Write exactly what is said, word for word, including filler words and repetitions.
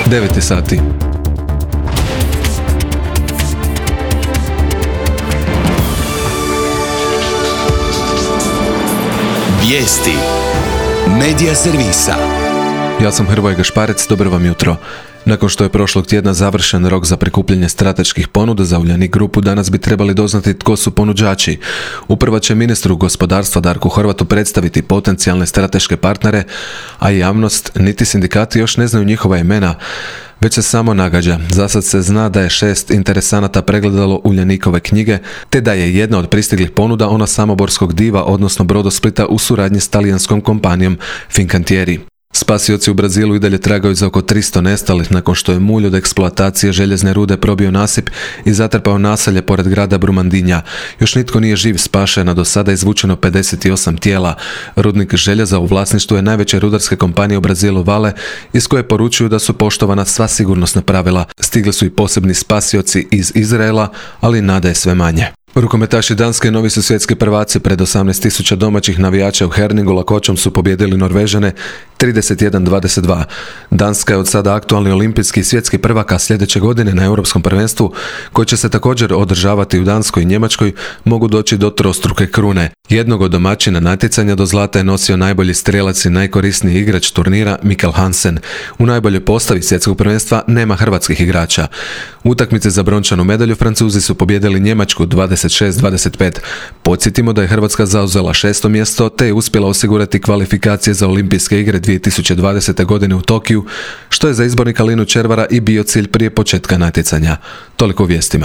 devet je sati. Vijesti Medija servisa. Ja sam Hrvoje Gašparec, dobro vam jutro. Nakon što je prošlog tjedna završen rok za prikupljanje strateških ponuda za Uljanik grupu, danas bi trebali doznati tko su ponuđači. Uprava će ministru gospodarstva Darku Horvatu predstaviti potencijalne strateške partnere, a javnost niti sindikati još ne znaju njihova imena, već se samo nagađa. Zasad se zna da je šest interesanata pregledalo Uljanikove knjige, te da je jedna od pristiglih ponuda ona samoborskog diva, odnosno Brodosplita u suradnji s talijanskom kompanijom Fincantieri. Spasioci u Brazilu i dalje tragaju za oko tristo nestalih nakon što je mulj od eksploatacije željezne rude probio nasip i zatrpao naselje pored grada Brumandinja. Još nitko nije živ spašen, a do sada je izvučeno pedeset osam tijela. Rudnik željeza u vlasništvu je najveće rudarske kompanije u Brazilu Vale, iz koje poručuju da su poštovana sva sigurnosna pravila. Stigli su i posebni spasioci iz Izraela, ali nada je sve manje. Rukometaši Danske novi su svjetski prvaci. Pred osamnaest tisuća domaćih navijača u Herningu lakoćom su pobijedili Norvežane trideset jedan dvadeset dva. Danska je od sada aktualni olimpijski i svjetski prvak, a sljedeće godine na Europskom prvenstvu, koje će se također održavati u Danskoj i Njemačkoj, mogu doći do trostruke krune. Jednog od domaćina natjecanja do zlata je nosio najbolji strijelac i najkorisniji igrač turnira Mikkel Hansen. U najboljoj postavi svjetskog prvenstva nema hrvatskih igrača. U utakmici za brončanu medalju Francuzi su pobijedili Njemačku dvadeset šest dvadeset pet. Podsjetimo da je Hrvatska zauzela šesto mjesto te je uspjela osigurati kvalifikacije za olimpijske igre dvije tisuće dvadesete. godine u Tokiju, što je za izbornika Linu Červara i bio cilj prije početka natjecanja. Toliko u vijestima.